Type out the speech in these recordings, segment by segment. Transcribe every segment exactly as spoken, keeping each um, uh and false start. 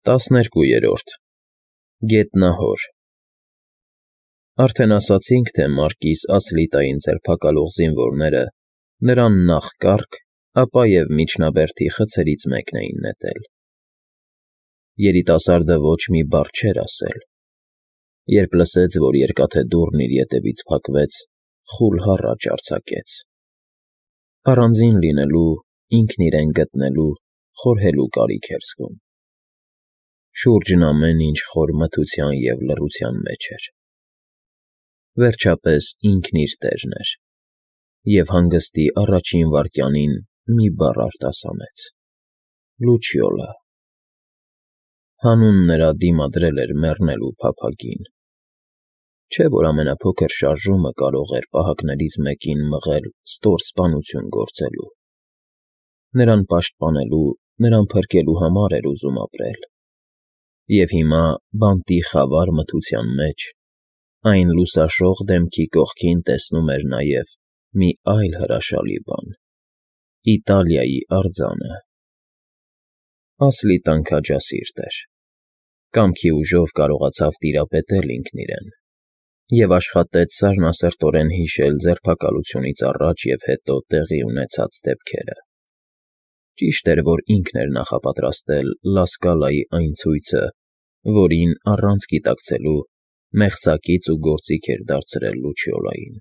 ՏԱՍՆԵՐԿՈՒԵՐՈՐԴ ԳԵՏՆԱՀՈՐ Արդեն ասացինք, թե մարկիս Ասլիտային ձերբակալող զինվորները նրան նախ կառք, ապա և միջնաբերդի խցերից մեկն էին նետել։ Երիտասարդը ոչ մի բառ չէր ասել։ Երբ լսեց, որ երկաթե դուռն իր ետևից փակվեց, խուլ հառաչ արձակեց։ Առանձին լինելու, ինքն իրեն գտնելու, խորհելու կարիք էր զգում։ Շուրջն ամեն ինչ խոր մթության և լռության մեջ էր։ Վերջապես ինքն իր տերն էր, և հանգստի առաջին վայրկյանին մի բառ արտասանեց. «Լուչիոլա»։ Հանուն նրա դիմադրել էր մեռնելու փափագին։ Չէ՞ որ ամենափոքր շարժումը կարող էր պահակներից մեկին մղել ստոր սպանություն գործելու։ Նրան պաշտպանելու, նրան փրկելու համար էր ուզում ապրել։ Եվ հիմա, բանտի խավար մթության մեջ, այն լուսաշող դեմքի կողքին տեսնում էր նաև մի այլ հրաշալի բան՝ Իտալիայի արձանը։ Ասլիտան քաջասիրտ էր։ Կամքի ուժով կարողացավ տիրապետել ինքն իրեն և աշխատեց սառնասրտորեն հիշել ձերբակալությունից առաջ և հետո տեղի ունեցած դեպքերը։ Ճիշտ էր, որ ինքն էր նախապատրաստել Լա Սկալայի այն ցույցը, որին, առանց գիտակցելու, մեղսակից ու գործիք էր դարձրել Լուչիոլային։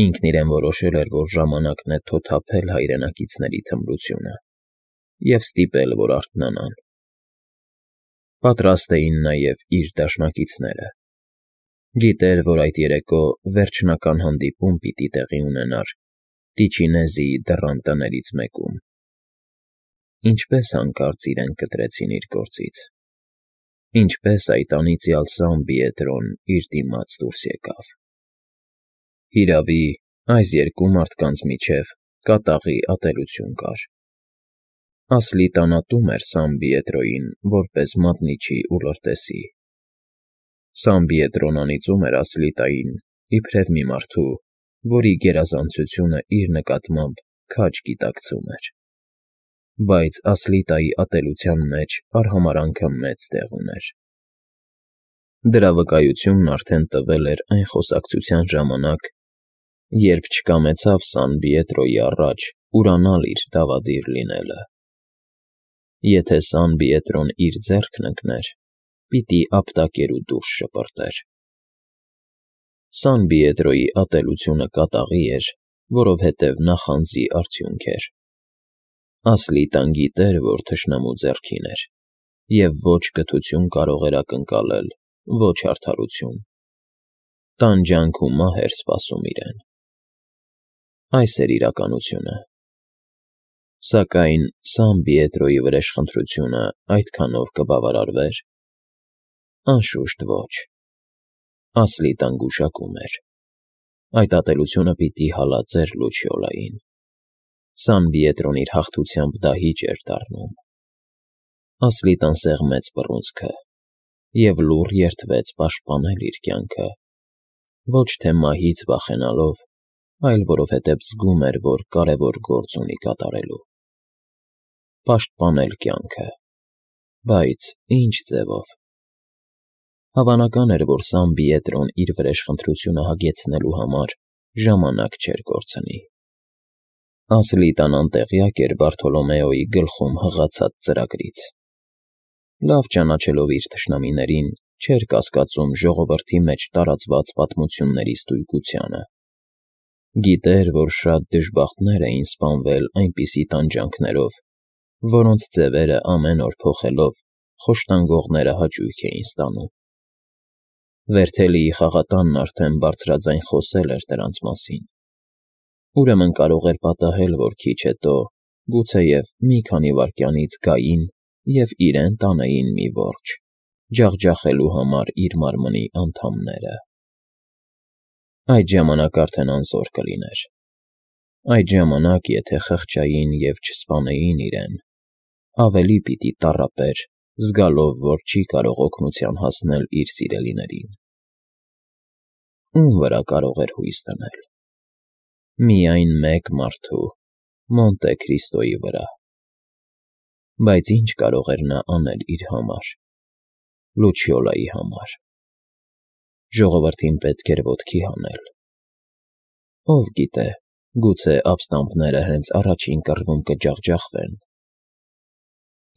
Ինքն իրեն որոշել էր, որ ժամանակն է թոթափել հայրենակիցների թմրությունը և ստիպել, որ արթնանան։ Պատրաստ էին նաև իր դաշնակիցները։ Գիտեր, որ այդ երեկո վերջնական հանդիպում պիտի տեղի ունենար Տիչինեզիի դռան տներից մեկում։ Ինչպես հանկարծ իրեն կտրեցին իր գործից։ Ինչպես այդ անիծյալ Սան Պիետրոն իր դիմաց դուրս եկավ։ Հիրավի, այս երկու մարդկանց միջև կատաղի ատելություն կար։ Ասլիտան ատում էր Սան Պիետրոյին որպես մատնիչի ու լրտեսի։ Սան Պիետրոն անիծում էր Ասլիտային իբրև մի մարդու, որի գերազանցությունը իր նկատմամբ քաջ գիտակցում էր։ Բայց Ասլիտայի ատելության մեջ արհամարհանքը մեծ տեղ ուներ։ Դրա վկայությունն արդեն տվել էր այն խոսակցության ժամանակ, երբ չկամեցավ Սան Պիետրոյի առաջ ուրանալ իր դավադիր լինելը։ Եթե Սան Պիետրոն իր ձեռքն ընկներ, պիտի ապտակեր ու դուրս շպրտեր։ Սան Պիետրոյի ատելությունը կատաղի էր, որովհետև նախանձի արդյունք էր։ Ասլիտան գիտեր, որ թշնամու ձեռքին էր, և ոչ կթություն կարող էր ակնկալել, ոչ արդարություն։ Տանջանք ու մահ էր սպասում իրեն։ Այս էր իրականությունը։ Սակայն Սան Պիետրոյի վրեժխնդրությունը այդքանով կբավարարվե՞ր։ Անշուշտ ոչ։ Ասլիտան գուշակում էր։ Այդ ատելությունը պիտի հալածեր Լուչիոլային։ Սան Պիետրոն իր հաղթությամբ դահիճ էր դառնում։ Ասլիտան սեղմեց բռունցքը և լուռ երդվեց պաշտպանել իր կյանքը, ոչ թե մահից վախենալով, այլ որովհետև զգում էր, որ կարևոր գործ ունի կատարելու։ Պաշտպանել կյանքը։ Բայց ի՞նչ ձևով։ Հավանական էր, որ Սան Պիետրոն իր վրեժխնդրությունը հագեցնելու համար ժամանակ չէր կորցնի։ Ասլիտան անտեղյակ էր Բարթոլոմեոյի գլխում հղացած ծրագրից։ Լավ ճանաչելով իր թշնամիներին, չէր կասկածում ժողովրդի մեջ տարածված պատմությունների ստույգությանը։ Գիտեր, որ շատ դժբախտներ էին սպանվել այնպիսի տանջանքներով, որոնց ձևերը ամեն օր փոխելով խոշտանգողները հաճույք էին ստանում։ Վերթելիի խաղատանն արդեն բարձրաձայն խոսել էր դրանց մասին։ Ուրեմն կարող էր պատահել, որ քիչ հետո, գուցեև մի քանի վայրկյանից գային և իրեն տանեին մի որջը, ջախջախելու համար իր մարմնի անդամները։ Այդ ժամանակ արդեն անզոր կլիներ։ Այդ ժամանակ, եթե խղճային և չսպանեին իրեն, ավելի պիտի տառապեր, զգալով, որ չի կարող օգնության հասնել իր սիրելիներին։ Ո՞ւմ վրա կարող էր հույս դնել։ Միայն մեկ մարդու՝ Մոնտե Քրիստոյի վրա։ Բայց ինչ կարող էր նա անել իր համար, Լուչիոլայի համար։ Ժողովրդին պետք էր ոտքի հանել։ Ով գիտե, գուցե ապստամբները հենց առաջին կռվում կջախջախվեն։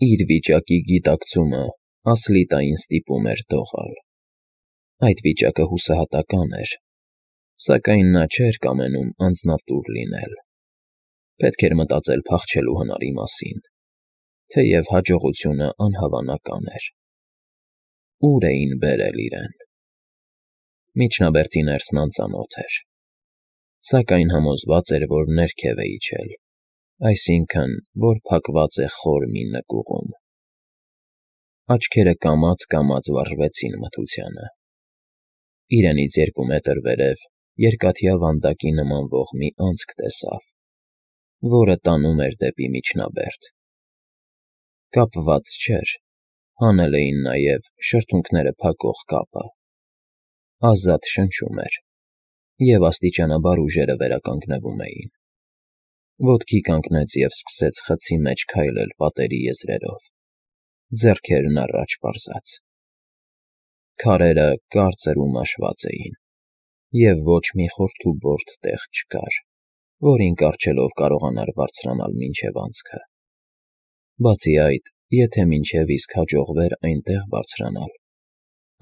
Իր վիճակի գիտակցումը Ասլիտային ստիպում էր դողալ։ Այդ վիճակը հուսահատական էր, սակայն նա չէր կամենում անձնատուր լինել։ Պետք էր մտածել փախչելու հնարի մասին, թեև հաջողությունը անհավանական էր։ Ուր էին բերել իրեն։ Միջնաբերդի ներսն անծանոթ էր, սակայն համոզված էր, որ ներքև է իջել, այսինքն, որ փակված է խոր մի նկուղում։ Աչքերը կամաց-կամաց վառվեցին մթությանը։ Իրենից երկու մետր վերև երկաթյա վանդակի նմանվող մի անցք տեսավ, որը տանում էր դեպի միջնաբերդ։ Կապված չէր, հանել էին նաև շրթունքները փակող կապը։ Ազատ շնչում էր, և աստիճանաբար ուժերը վերականգնվում էին։ Ոտքի կանգնեց և սկսեց խցի մեջ քայլել պատերի եզրերով, ձեռքերն առաջ պարզած։ Քարերը կարծր ու մաշված էին, և ոչ մի խորթուբորդ տեղ չկար, որին կառչելով կարողանար բարձրանալ մինչև անցքը։ Բացի այդ, եթե մինչև իսկ հաջողվեր այնտեղ բարձրանալ,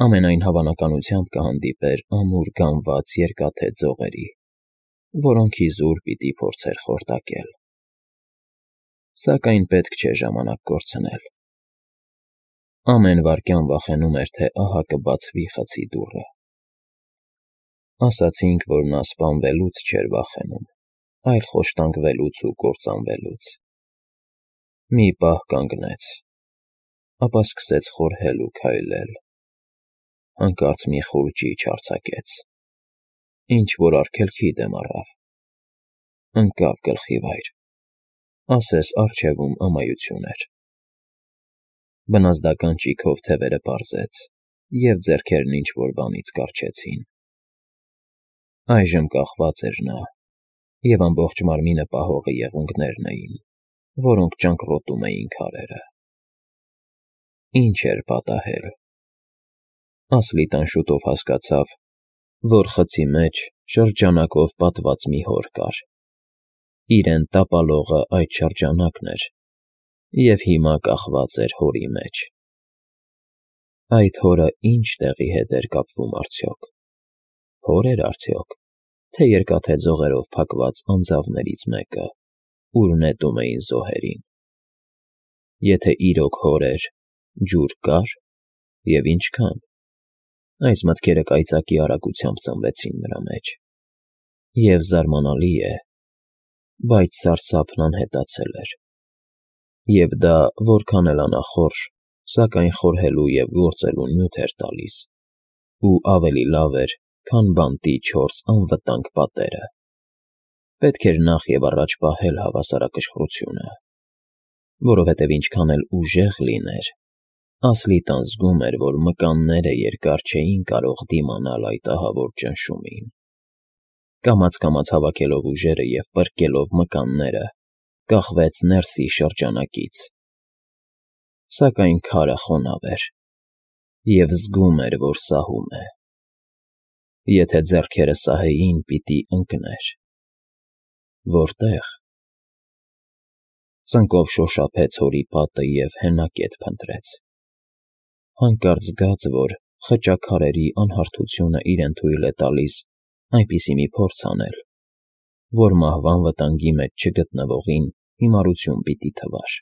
ամենայն հավանականությամբ կհանդիպեր ամուր գամված երկաթե ձողերի, որոնք իզուր պիտի փորձեր խորտակել։ Սակայն պետք չէ ժամանակ կորցնել։ Ամեն վայրկյան վախենում էր, թե ահա կբացվի խցի դուռը։ Ասացինք, որ նա սպանվելուց չէր վախենում, այլ խոշտանգվելուց ու կործանվելուց։ Մի պահ կանգնեց, ապա սկսեց խորհել ու քայլել։ Հանկարծ մի խուլ ճիչ արձակեց, ինչ-որ արգելքի դեմ առավ։ Ընկավ գլխի վայր, ասես առջևում ամայություն էր։ Բնազդական ճիգով թևերը պարզեց, և ձեռքերն ինչ-որ բանից կառչեցին։ Այժմ կախված էր նա, և ամբողջ մարմինը պահողը եղունգներն էին, որոնք ճանկռոտում էին քարերը։ Ինչ էր պատահել։ Ասլիտան շուտով հասկացավ, որ խցի մեջ շրջանակով պատված մի հոր կար։ Իրեն տապալողը այդ շրջանակն էր, և հիմա կախված էր հորի մեջ։ Այդ հորը ի՞նչ տեղի հետ էր կապվում արդյոք։ Հո՞ր էր արդյոք, թե երկաթե ձողերով փակված անձավներից մեկը, ուր նետում էին զոհերին։ Եթե իրոք հոր էր, ջուր կա՞ր, և ինչքան։ Այս մտքերը կայծակի արագությամբ ծնվեցին նրա մեջ։ Եվ զարմանալի է, բայց սարսափն անհետացել էր։ Եվ դա որքան էլ անախորժ, սակայն խորհելու և գործելու նյութ էր տալիս, ու ավելի լավ էր, քան բանտի չորս անվտանգ պատերը։ Պետք էր նախ և առաջ պահել հավասարակշռությունը, որովհետև ինչքան էլ ուժեղ լիներ, Ասլիտան զգում էր, որ մկանները երկար չէին կարող դիմանալ այդ ահավոր ճնշումին։ Կամաց֊կամաց հավաքելով ուժերը և պրկելով մկանները, կախվեց ներսի շրջանակից։ Սակայն քարը խոնավ էր, և զգում էր, որ սահում է։ Եթե ձեռքերը սահեին, պիտի ընկներ։ Որտե՞ղ։ Ծնկով շոշափեց հորի պատը և հենակետ փնտրեց։ Հանկարծ զգաց, որ խճաքարերի անհարթությունը իրեն թույլ է տալիս այնպիսի մի փորձ անել, որ մահվան վտանգի մեջ չգտնվողին հիմարություն պիտի թվար։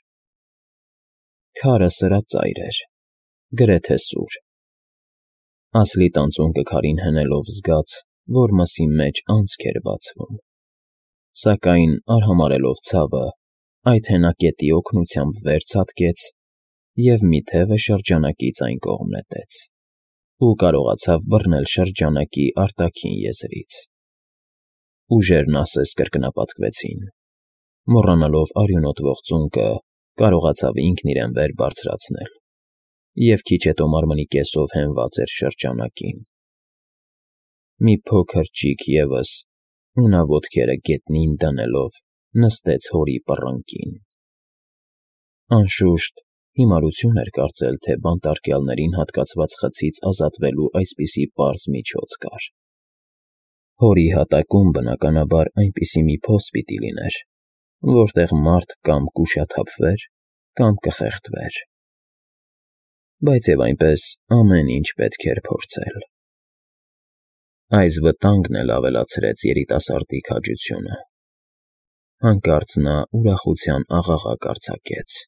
Քարը սրածայր էր, գրեթե սուր։ Ասլիտան ծունկը քարին հենելով զգաց, որ մսի մեջ անցք էր բացվում։ Սակայն արհամարհելով ցավը, այդ հենակետի օգնությամբ վեր ցատկեց և մի թևը շրջանակից այն կողմ նետեց, ու կարողացավ բռնել շրջանակի արտաքին եզրից։ Ուժերն ասես կրկնապատկվեցին։ Մոռանալով արյունոտվող ծունկը, կարողացավ ինքն իրեն վեր բարձրացնել, և քիչ հետո մարմնի կեսով հենված էր շրջանակին։ Մի փոքր ճիգ ևս, ու նա ոտքերը գետնին դնելով նստեց հորի պռնկին։ Անշուշտ, հիմարություն էր կարծել, թե բանտարկյալներին հատկացված խցից ազատվելու այսպիսի պարզ միջոց կար։ Հորի հատակում, բնականաբար, այնպիսի մի փոս պիտի լիներ, որտեղ մարդ կամ կուշաթափվեր, կամ կխեղդվեր։ Բայց և այնպես ամեն ինչ պետք էր փորձել։ Այս վտանգն էլ ավելացրեց երիտասարդի քաջությունը։ Հանկարծ նա ուրախության աղաղակ արձակեց։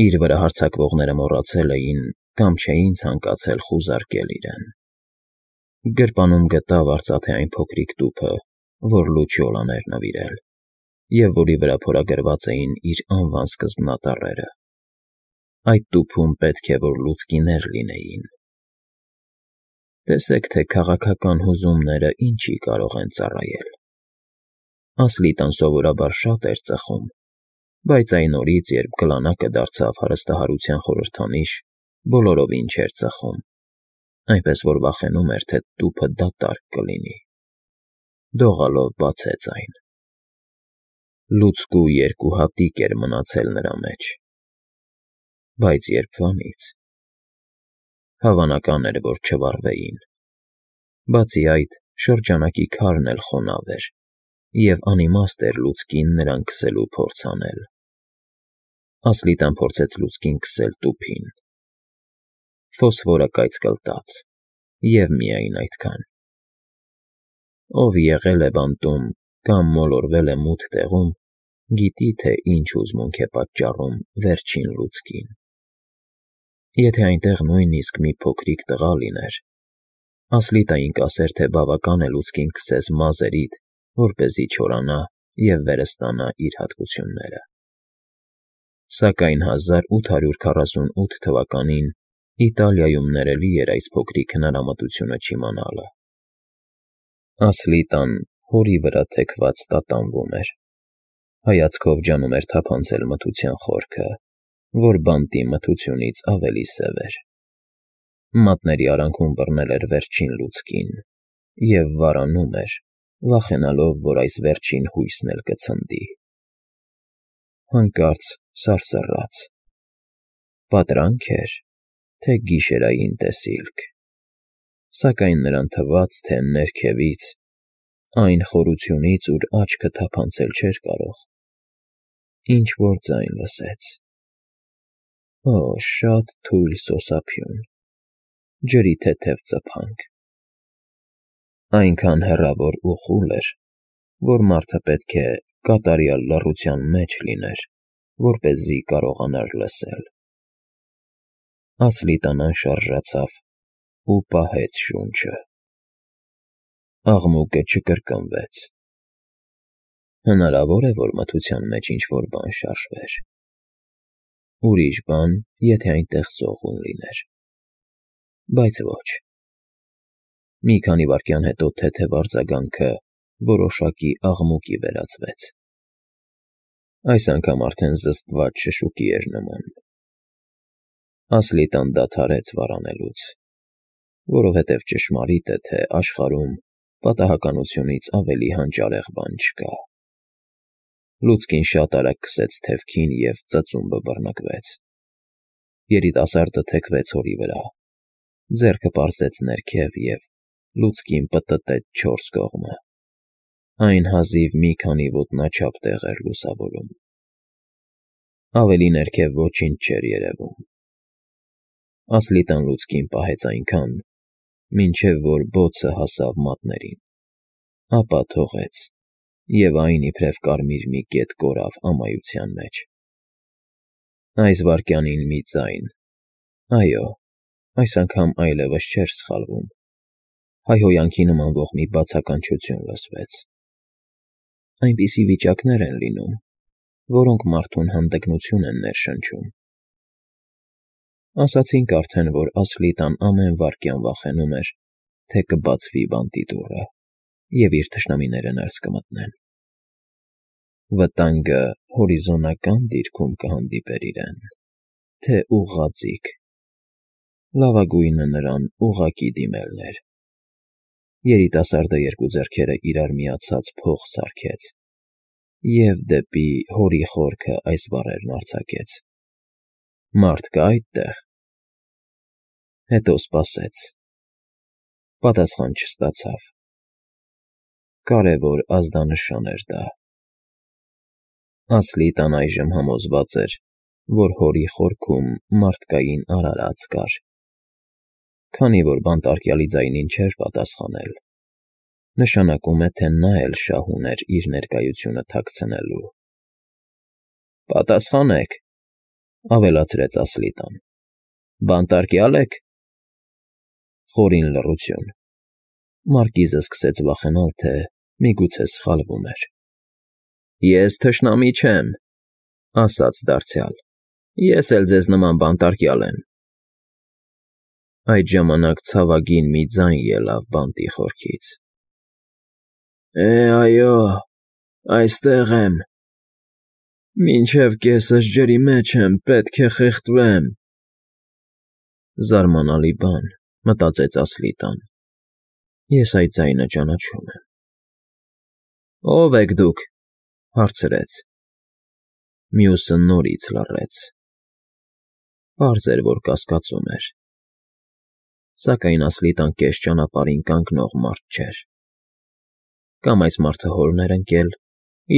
Իր վրա հարձակվողները մոռացել էին կամ չէին ցանկացել խուզարկել իրեն։ Գրպանում գտավ արծաթե այն փոքրիկ տուփը, որ Լուչիոլան էր նվիրել, և որի վրա փորագրված էին իր անվան սկզբնատառերը։ Այդ տուփում պետք է որ լուցկիներ լինեին։ Տեսեք, թե քաղաքական հուզումները ինչի կարող են ծառայել։ Ասլիտան սովորաբար շատ էր ծխում, բայց այն օրից, երբ կլանակը դարձավ հարստահարության խորհրդանիշ, բոլորովին չէր ծխում, այնպես որ վախենում էր, թե տուփը դատարկ կլինի։ Դողալով բացեց այն։ Լուցկու երկու հատիկ էր մնացել նրա մեջ։ Բայց երբվանից։ Հավանական էր, որ չվառվեին։ Բացի այդ, շրջանակի քարն էլ խոնավ էր, և անիմաստ էր լուցկին նրան քսելու փորձ անել։ Ասլիտան փորձեց լուցկին քսել տուփին։ Ֆոսֆորը կայծկլտաց, և միայն այդքան։ Ով եղել է բանտում կամ մոլորվել է մութ տեղում, գիտի, թե ինչ հուզմունք է պատճառում վերջին լուցկին։ Եթե այնտեղ նույնիսկ մի փոքրիկ տղա լիներ, Ասլիտային կասեր, թե բավական է լուցկին քսես մազերիդ, որպեսզի չորանա և վերստանա իր հատկությունները։ Սակայն հազար ութ հարյուր քառասունութ թվականին Իտալիայում ներելի էր այս փոքրիկ հնարամտությունը չիմանալը։ Ասլիտան հորի վրա թեքված տատանվում էր։ Հայացքով ջանում էր թափանցել մթության խորքը, որ բանտի մթությունից ավելի սև էր։ Մատների արանքում բռնել էր վերջին լուցկին և վարանում էր, վախենալով, որ այս վերջին հույսն էլ կցնդի։ Հանկարծ սարսռաց։ Պատրանք էր, թե գիշերային տեսիլք։ Սակայն նրան թվաց, թե ներքևից, այն խորությունից, ուր աչքը թափանցել չէր կարող, ինչ-որ ձայն լսեց։ Օ՜, շատ թույլ սոսափյուն, ջրի թեթև ծփանք։ Այնքան հեռավոր ու խուլ էր, որ մարդը պետք է կատարյալ լռության մեջ լիներ, որպեսզի կարողանար լսել։ Ասլիտան անշարժացավ ու պահեց շունչը։ Աղմուկը չկրկնվեց։ Հնարավոր է, որ մթության մեջ ինչ-որ բան շարժվեր։ Ուրիշ բան, եթե այնտեղ սողուն լիներ։ Բայց ոչ։ Մի քանի վայրկյան հետո թեթև արձագանքը որոշակի աղմուկի վերածվեց։ Այս անգամ արդեն զսպված շշուկի էր նման։ Ասլիտան դադարեց վարանելուց, որովհետև ճշմարիտ է, թե աշխարհում պատահականությունից ավելի հանճարեղ բան չկա։ Լուցկին շատ արագ քսեց թևքին և ծծումբը բռնկվեց։ Երիտասարդը թեքվեց հորի վրա, ձեռքը պարզեց ներքև և լուցկին պտտեց չորս կողմը։ Այն հազիվ մի քանի ոտնաչափ տեղ էր լուսավորում։ Ավելի ներքև ոչինչ չէր երևում։ Ասլիտան լուցկին պահեց այնքան, մինչև որ բոցը հասավ մատներին, ապա թողեց, և այն իբրև կարմիր մի կետ կորավ ամայության մեջ։ Այս վայրկյանին մի ձայն, այո, այս անգամ այլևս չէր սխալվում, հայհոյանքի նմանվող մի բացականչություն լսվեց։ Այնպիսի վիճակներ են լինում, որոնք մարդուն հանդգնություն են ներշնչում։ Ասացինք արդեն, որ Ասլիտան ամեն վայրկյան վախենում էր, թե կբացվի բանտի դուռը, և իր թշնամիները ներս կմտնեն։ Վտանգը հորիզոնական դիրքում կհանդիպեր իրեն, թե ուղղաձիգ։ Լավագույնը նրան ուղղակի դիմելն էր։ Երիտասարդը երկու ձեռքերը իրար միացած փող սարքեց, և դեպի հորի խորքը այս բառերն արձակեց. «Մարդ կա՞ այդտեղ»։ Հետո սպասեց. պատասխան չստացավ։ Կարևոր ազդանշան էր դա։ Ասլիտան այժմ համոզված էր, որ հորի խորքում մարդկային արարած կար։ Քանի որ բանտարկյալի ձայնին չէր պատասխանել, նշանակում է, թե նա էլ շահ ուներ իր ներկայությունը թաքցնելու։ «Պատասխանեք,֊ ավելացրեց Ասլիտան,֊ բանտարկյա՞լ եք»։ Խորին լռություն։ Մարկիզը սկսեց վախենալ, թե միգուցե սխալվում էր։ «Ես թշնամի չեմ,֊ ասաց դարձյալ,֊ ես էլ ձեզ նման բանտարկյալ եմ»։ Այդ ժամանակ ցավագին մի ձայն ելավ բանտի խորքից. «Է՛, այո, այստեղ եմ, մինչև կեսս ջրի մեջ եմ, պետք է խեղդվեմ»։ Զարմանալի բան, մտածեց Ասլիտան, ես այդ ձայնը ճանաչում եմ։ «Ո՞վ եք դուք,֊ հարցրեց։ Մյուսը նորից լռեց։ Պարզ էր, որ կասկածում էր։ Սակայն Ասլիտան կես ճանապարհին կանգնող մարդ չէր։ Կամ այս մարդը հորն էր ընկել,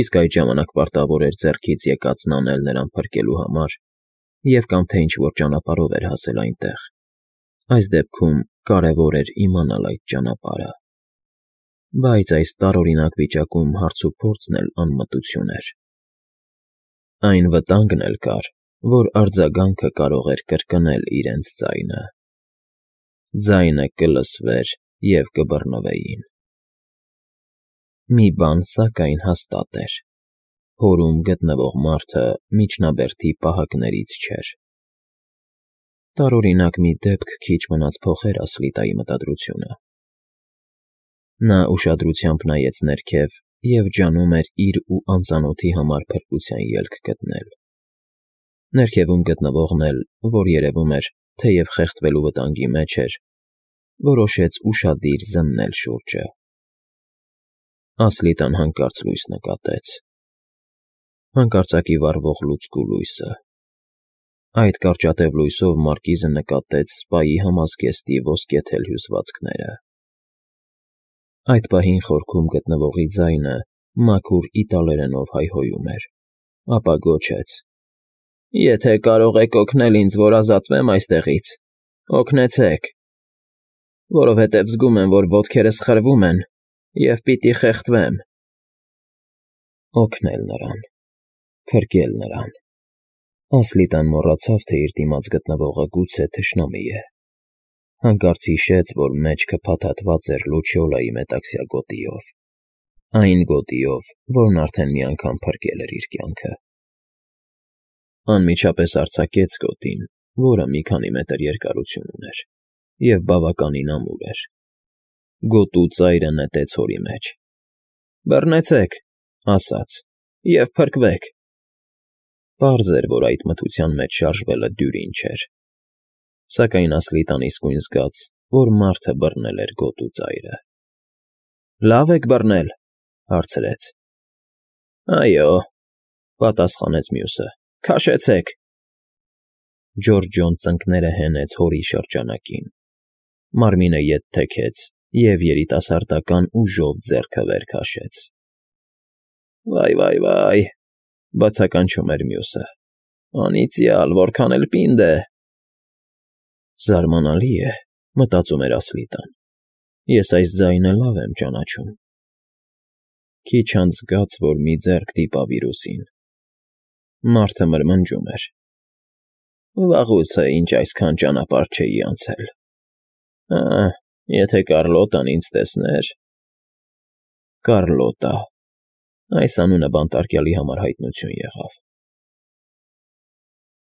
իսկ այդ ժամանակ պարտավոր էր ձեռքից եկածն անել նրան փրկելու համար, և կամ թե ինչ֊որ ճանապարհով էր հասել այնտեղ։ Այս դեպքում կարևոր էր իմանալ այդ ճանապարհը։ Բայց այս տարօրինակ վիճակում հարցուփորձն էլ անմտություն էր։ Այն վտանգն էլ կար, որ արձագանքը կարող էր կրկնել իրենց ձայնը։ Ձայնը կլսվեր և կբռնվեին։ Մի բան, սակայն, հաստատ էր. հորում գտնվող մարդը միջնաբերդի պահակներից չէր։ Տարօրինակ մի դեպք քիչ մնաց փոխեր Ասլիտայի մտադրությունը։ Նա ուշադրությամբ նայեց ներքև և ջանում էր իր ու անծանոթի համար փրկության ելք գտնել։ Ներքևում գտնվողն էլ, որ երևում էր, թեև խեղդվելու վտանգի մեջ էր, որոշեց ուշադիր զննել շուրջը։ Ասլիտան հանկարծ լույս նկատեց։ Հանկարծակի վառվող լուցկու լույսը։ Այդ կարճատև լույսով Մարկիզը նկատեց սպայի համազգեստի ոսկեթել հյուսվածքները։ Այդ պահին խորքում գտնվողի ձայնը մաքուր իտալերենով հայհոյում էր, ապա գոչեց. «Եթե կարող եք օգնել ինձ, որ ազատվեմ այստեղից, օգնեցեք, որովհետև զգում եմ, որ ոտքերս խրվում են և պիտի խեղդվեմ»։ Օգնել նրան, փրկել նրան… Ասլիտան մոռացավ, թե իր դիմաց գտնվողը գուցե թշնամի է։ Հանկարծ հիշեց, որ մեջքը փաթաթված էր Լուչիոլայի մետաքսյա գոտիով։ Այն գոտիով, որն արդեն մի անգամ փրկել էր իր կյանքը։ Անմիջապես արձակեց գոտին, որը մի քանի մետր երկարություն ուներ, և բավականին ամուր էր։ Գոտու ծայրը նետեց հորի մեջ։ «Բռնեցեք,֊ ասաց,֊ և փրկվեք»։ Պարզ էր, որ այդ մթության մեջ շարժվելը դյուրին չէր։ Սակայն Ասլիտան իսկույն զգաց, որ մարդը բռնել էր գոտու ծայրը։ «Լավ եք բռնել,֊ հարցրեց։ «Այո,֊ պատասխանեց մյուսը,֊ քաշեցեք»։ Ջորջոն ծնկները հենեց հորի շրջանակին։ Մարմինը ետ թեքեց և երիտասարդական ուժով ձեռքը վեր քաշեց։ «Վայ֊վայ֊վայ,֊ բացականչում էր մյուսը,֊ անիծյալ, որքան էլ պինդ է»։ Զարմանալի է,֊ մտածում էր Ասլիտան,֊ ես այս ձայնը լավ եմ ճանաչում։ Քիչ անց զգաց, որ մի ձեռք դիպավ իր ուսին։ Մարդը մրմնջում էր. «Վաղուց է, ինչ այսքան ճանապարհ չէի անցել… Ա՜, եթե Կառլոտան ինձ տեսներ…»։ Կառլոտա… Այս անունը բանտարկյալի համար հայտնություն եղավ։